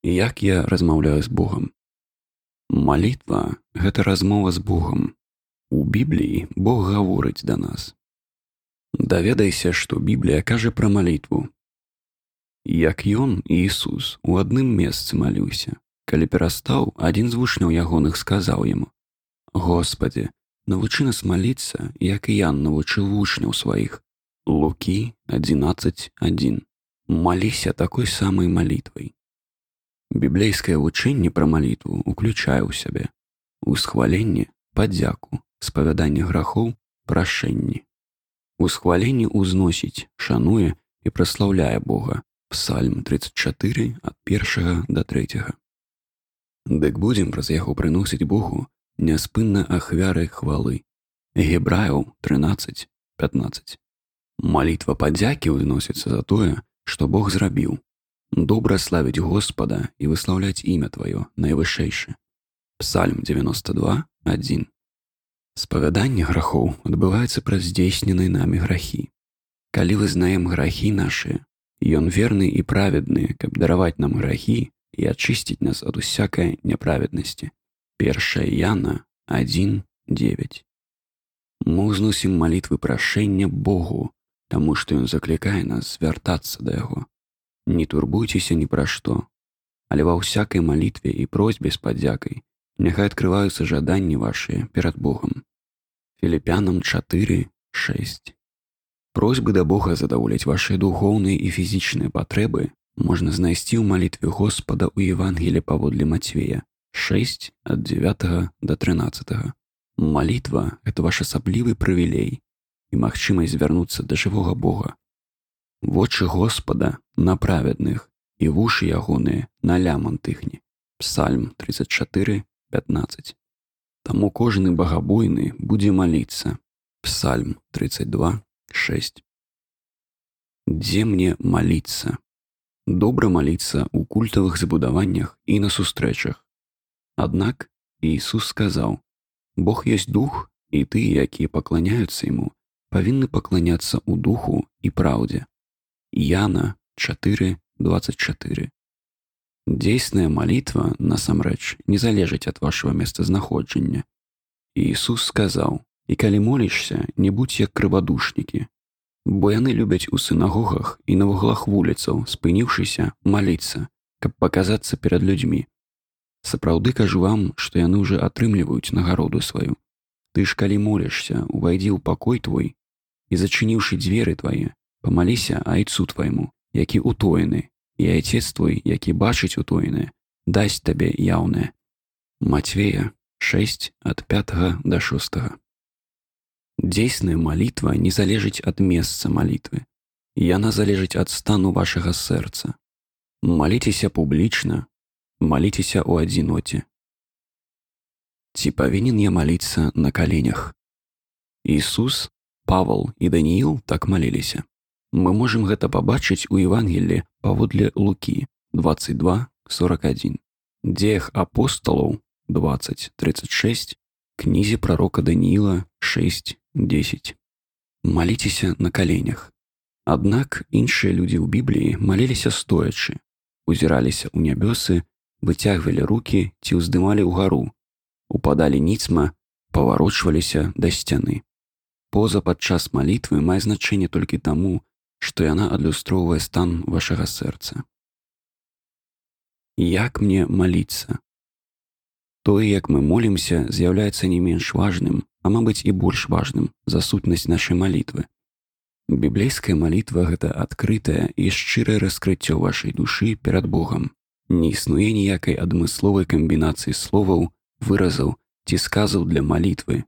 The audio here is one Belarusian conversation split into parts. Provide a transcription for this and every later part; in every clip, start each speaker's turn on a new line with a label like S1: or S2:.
S1: Як я размаўляю з Богам? Малітва – гэта размова з Богам. У Бібліі Бог гаворыць да нас. Даведайся, што Біблія кажа пра малітву. Як ён, Ісус, у адным месцы маліўся. Калі перастаў, адзін з вучняў ягоных сказаў яму: «Господі, навучы нас маліцца, як і Ян навучыў вучняў сваіх». Лукі 11:1. Маліся такой самай малітвай. Біблейскае вучэнне пра малітву уключае ў сябе усхваленне, падзяку, спавяданне грахоў, прашэнні. Усхваленне ўзносіць, шануе і праслаўляе Бога. Псальм 34 ад 1 да 3. Дык будзем праз яго прыносіць Богу няспынна ахвяры хвалы. Гебраяў 13:15. Малітва падзякі ўзносіцца за тое, што Бог зрабіў. Добра славіць Господа і выслаўляць імя Тваё найвышэйшае. Псальм 92:1. Спавяданне грахоў адбываецца праз здзейсненыя намі грахі. Калі вызнаем грахі нашыя, Ён верны і праведны, каб дараваць нам грахі і ачысціць нас ад усякай няправеднасці. 1 Яна 1:9. Мы ўзносім малітвы прашэння Богу, таму што Ён заклікае нас звяртацца да Яго. Не турбуйцеся ні пра што, але ва ўсякай малітве і просьбе з падзякай няхай адкрываюцца жаданні вашыя перад Богам. Філіпянам 4:6. Просьбы да Бога задаволяць вашыя духоўныя і фізічныя патрэбы можна знайсці ў малітве Господа ў Евангелі паводле Мацвея 6 ад 9 да 13. Малітва – гэта ваш асаблівы прывілей і магчымасць звярнуцца да жывога Бога. Вочы Господа на праведных і вушы ягоныя на лямант іхні. Псальм 34:15. Таму кожны багабойны будзе маліцца. Псальм 32:6. Дзе мне маліцца? Добра маліцца ў культавых забудаваннях і на сустрэчах. Аднак Ісус сказаў: «Бог ёсць дух, і тыя, якія пакланяюцца Яму, павінны пакланяцца ў духу і праўдзе». Яна 4:24. Дзейсная малітва, насамрэч, не залежыць ад вашага месцазнаходжання. Ісус сказаў: «І калі молішся, не будзь як крывадушнікі, бо яны любяць у сінагогах і на вуглах вуліцаў, спыніўшыся, маліцца, каб паказацца перад людзьмі. Сапраўды кажу вам, што яны ўжо атрымліваюць нагароду сваю. Ты ж калі молішся, увайдзі ў пакой твой і, зачыніўшы дзверы твае, памаліся айцу твайму, які утоены, і айцец твой, які бачыць утоенае, дасць табе яўнае». Мацвея 6 ад 5 да 6. Дзейсная малітва не залежыць ад месца малітвы. Яна залежыць ад стану вашага сэрца. Маліцеся публічна, маліцеся ў адзіноце. Ці павінен я маліцца на каленях? Ісус, Павал і Данііл так маліліся. Мы можам гэта пабачыць у Евангеллі паводле Лукі 22:41, Дзеях апосталаў 20:36, кнізе прарока Данііла 6:10. Маліцеся на каленях. Аднак іншыя людзі ў Бібліі маліліся стоячы, узіраліся ў нябёсы, выцягвалі рукі ці ўздымалі ўгару, упадалі ніцма, паварочваліся да сцяны. Поза падчас малітвы мае значэнне толькі таму, што яна адлюстроўвае стан вашага сэрца. Як мне маліцца? Тое, як мы молімся, з'яўляецца не менш важным, а мабыць і больш важным за сутнасць нашай малітвы. Біблейская малітва – гэта адкрытае і шчырае раскрыццё вашай душы перад Богам. Не існуе ніякай адмысловай камбінацыі словаў, выразаў ці сказаў для малітвы,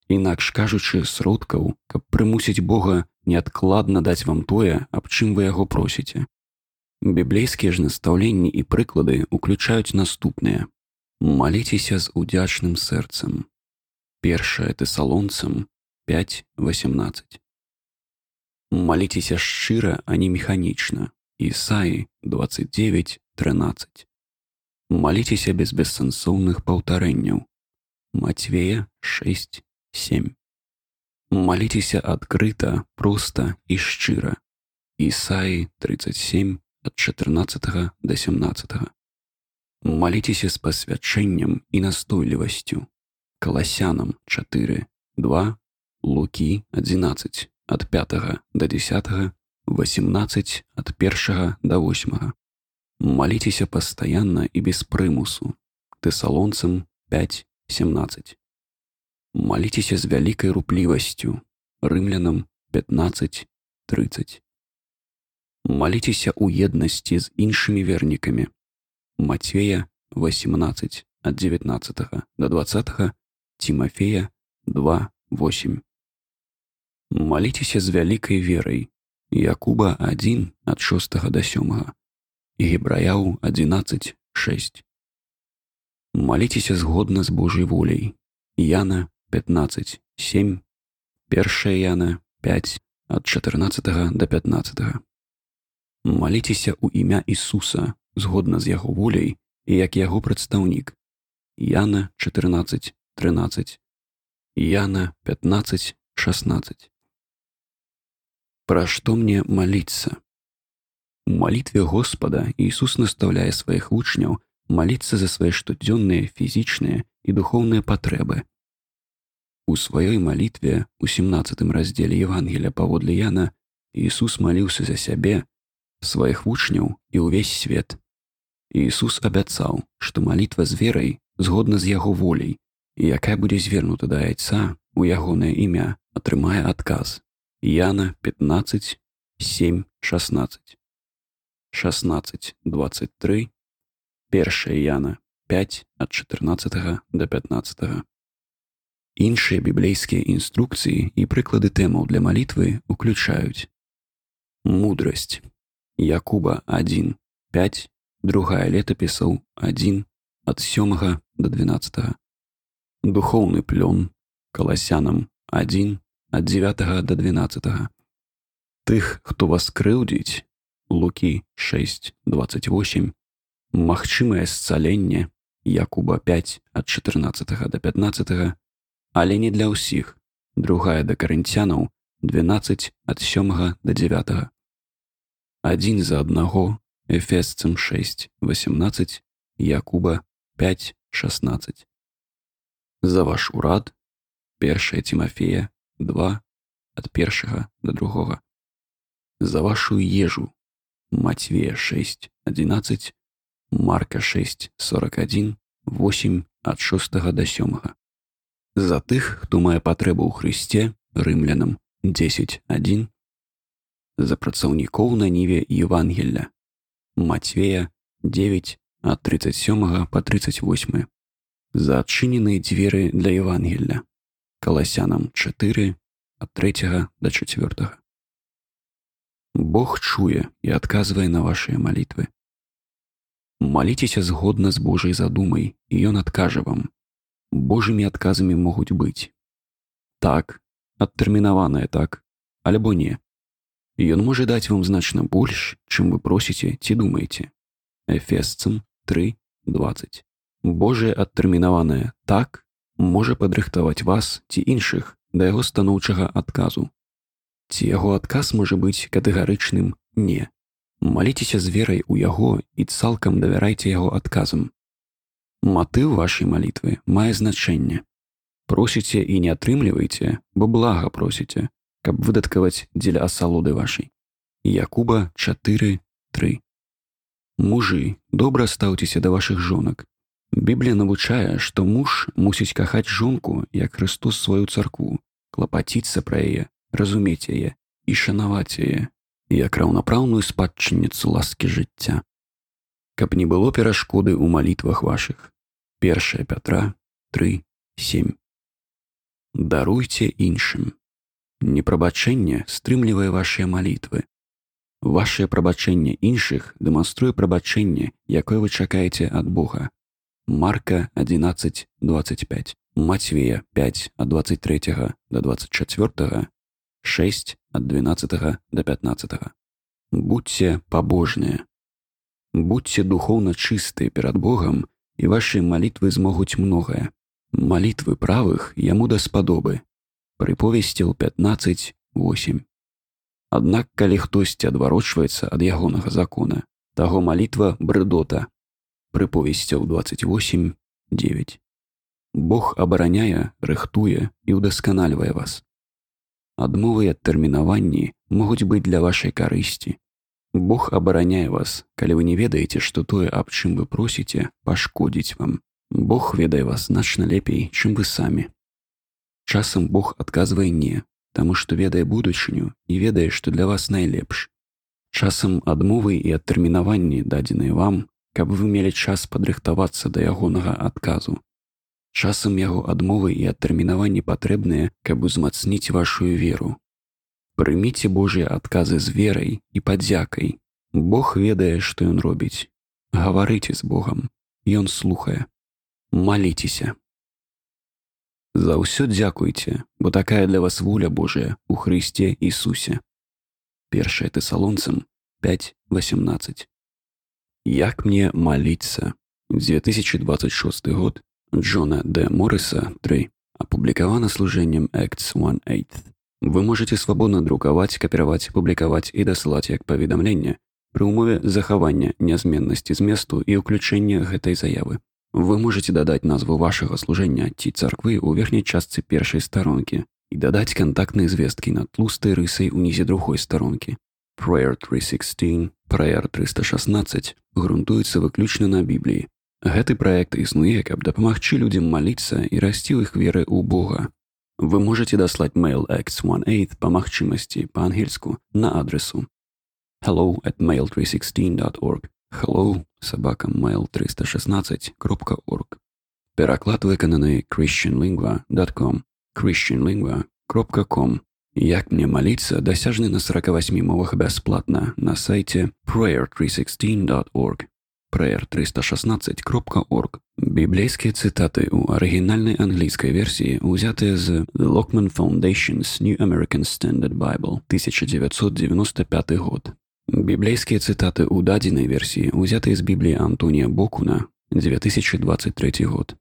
S1: інакш кажучы, сродкаў, каб прымусіць Бога неадкладна даць вам тое, аб чым вы яго просіце. Біблейскія ж настаўленні і прыклады уключаюць наступныя. Маліцеся з удзячным сэрцам. 1 Тэсалонцам 5:18. Маліцеся шчыра, а не механічна. Ісаі 29:13. Маліцеся без бессэнсоўных паўтарэнняў. Мацвея 6:7. Маліцеся адкрыта, проста і шчыра. Ісаі 37 ад 14 да 17. Молитесь с посвящением и настойлівасцю. Колоссянам 4, 2, Луки 11, от 5 до 10, 18, от 1 до 8. Молитесь постоянно и без примусу. Тессалонцам 5, 17. Молитесь с великой рупливостью. Римлянам 15, 30. Молитесь у едности с іншими верниками. Матвея 18, от 19 до 20, Тимофея 2, 8. Молитесь с великой верой. Якуба 1, от 6 до 7, и Гебраяу 11, 6. Молитесь згодно с Божьей волей. Яна 15, 7, 1 Яна 5, от 14 до 15. Молитесь у імя Ісуса, згодна з Яго волей, і як Яго прадстаўнік. Яна 14, 13, Яна 15, 16. Про что мне молиться? У молитве Господа Иисус наставляет своих учняў молиться за свои штодзённыя физичные и духовные потребы. У своей молитве у 17 разделе Евангелия паводле Яна Иисус молился за сябе, своих учняў и увесь свет. Иисус абяцаў, что молитва з верой згодна з Яго волей, и якая будзе звернута да Айца у Ягонае імя, атрымае адказ. Яна 15, 7, 16. 16, 23, 1 Яна 5, от 14 до 15. Іншыя біблейскія інструкцыі і прыклады тэмаў для малітвы уключаюць мудрасць. Якуба 1, 5, другая летапісаў 1, от 7 до 12. Духовны плён. Колоссянам 1, от 9 до 12. Тых, хто вас крыўдзіць. Луки 6, 28. Магчымае сцаленне. Якуба 5, от 14 до 15. Але не для ўсіх. Другая да Карынцянаў 12, от 7 до 9. Один за одного. Эфесцам 6, 18. Якуба 5, 16. За ваш урад. 1 Тимофея 2, от 1 до 2. За вашу ежу. Матвея 6, 11. Марка 6, 41, 8, от 6 до 7. За тых, хто мае патрэбу ў Хрысце, Рымлянам 10, 1. За працаўнікоў на ніве Евангелля. Матвея 9, от 37 по 38. За адчыненыя дзверы для Евангелля. Колоссянам 4, от 3 до 4. Бог чуе и отказывае на ваши молитвы. Молитесь згодна с Божьей задумой, и Он откажет вам. Божьими отказами могут быть так, адтэрмінаванае так, альбо не. И Он может дать вам значно больше, чем вы просите ці думаете. Эфесцам 3, 20. Божие адтэрмінаванае так можа падрыхтаваць вас ці іншых да яго станоўчага адказу. Ці яго адказ можа быць катэгарычным «не». Маліцеся з верай у яго і цалкам давярайце яго адказам. Матыў вашай малітвы мае значэнне. Просіце і не атрымлівайце, бо блага просіце, каб выдаткаваць дзеля асалоды вашай. Якуба 4, 3. Мужы, добра стаўцеся да вашых жонак. Біблія навучае, што муж мусіць кахаць жонку, як Христос сваю царкву, клапаціцца пра яе, разумець яе і шанаваць яе, як раўнапраўную спадчынніцу ласкі жыцця. Каб не было перашкоды ў малітвах вашых. 1 Пятра 3, 7. Даруйце іншым. Непрабачэнне стрымлівае вашыя малітвы. Вашае прабачэнне іншых дэманструе прабачэнне, якое вы чакаеце ад Бога. Марка 11, 25. Матвея 5, от 23 до 24, 6, от 12 до 15. Будьте побожныя. Будьте духовно чистые перед Богом, и ваши молитвы змогуць многое. Молитвы правых яму даспадобы. Прыповесцяў 15, 8. Аднак, калі хтосьці адварочваецца ад ягонага закона, таго молитва брыдота. Прыповесцяў 28:9. Бог абараняе, рыхтуе і ўдасканальвае вас. Адмовы і адтэрмінаванні могуць быць для вашай карысці. Бог абараняе вас, калі вы не ведаеце, што тое, аб чым вы просіце, пашкодзіць вам. Бог ведае вас значна лепей, чым вы самі. Часам Бог адказвае не, таму што ведае будучыню і ведае, што для вас найлепш. Часам адмовы і адтэрмінаванні дадзеныя вам, каб вы мелі час падрыхтавацца да ягонага адказу. Часам яго адмовы і адтэрмінаванні патрэбныя, каб узмацніць вашую веру. Прыміце Божыя адказы з верай і падзякай. Бог ведае, што ён робіць. Гаварыце з Богам. Ён слухае. Маліцеся. За ўсё дзякуйце, бо такая для вас воля Божая у Хрысце Ісусе. 1 Тэсалонцам 5:18. Як мне маліцца? 2026 год. Джона Д. Морриса 3. Апублікавана служэннем Acts 1:8. Вы можете свабодна друкаваць, капіраваць, публікаваць і дасылаць як паведамленне пры ўмове захавання нязменнасці зместу і ўключэння гэтай заявы. Вы можете дадаць назву вашага служэння ці царквы ў верхняй частцы першай старонкі і дадаць кантактныя звесткі над тлустай рысай унізе другой старонкі. Prayer 316, Prayer 316 грунтуецца выключна на Бібліі. Гэты праект існуе, каб дапамагчы людзям маліцца і расці ў іх веры ў Бога. Вы можете даслаць mail Acts 1:8 па магчымасці па-ангельску на адресу hello@mail316.org hello@mail316.org. Пераклад выкананы christianlingua.com christianlingua.com. Як мне маліцца дасяжны на 48 мовах бясплатна на сайце prayer316.org prayer316.org. Біблейскія цытаты ў арыгінальнай англійскай версіі ўзятыя з The Lockman Foundation's New American Standard Bible 1995 год. Біблейскія цытаты ў дадзенай версіі ўзятыя з Бібліі Антонія Бокуна 2023 год.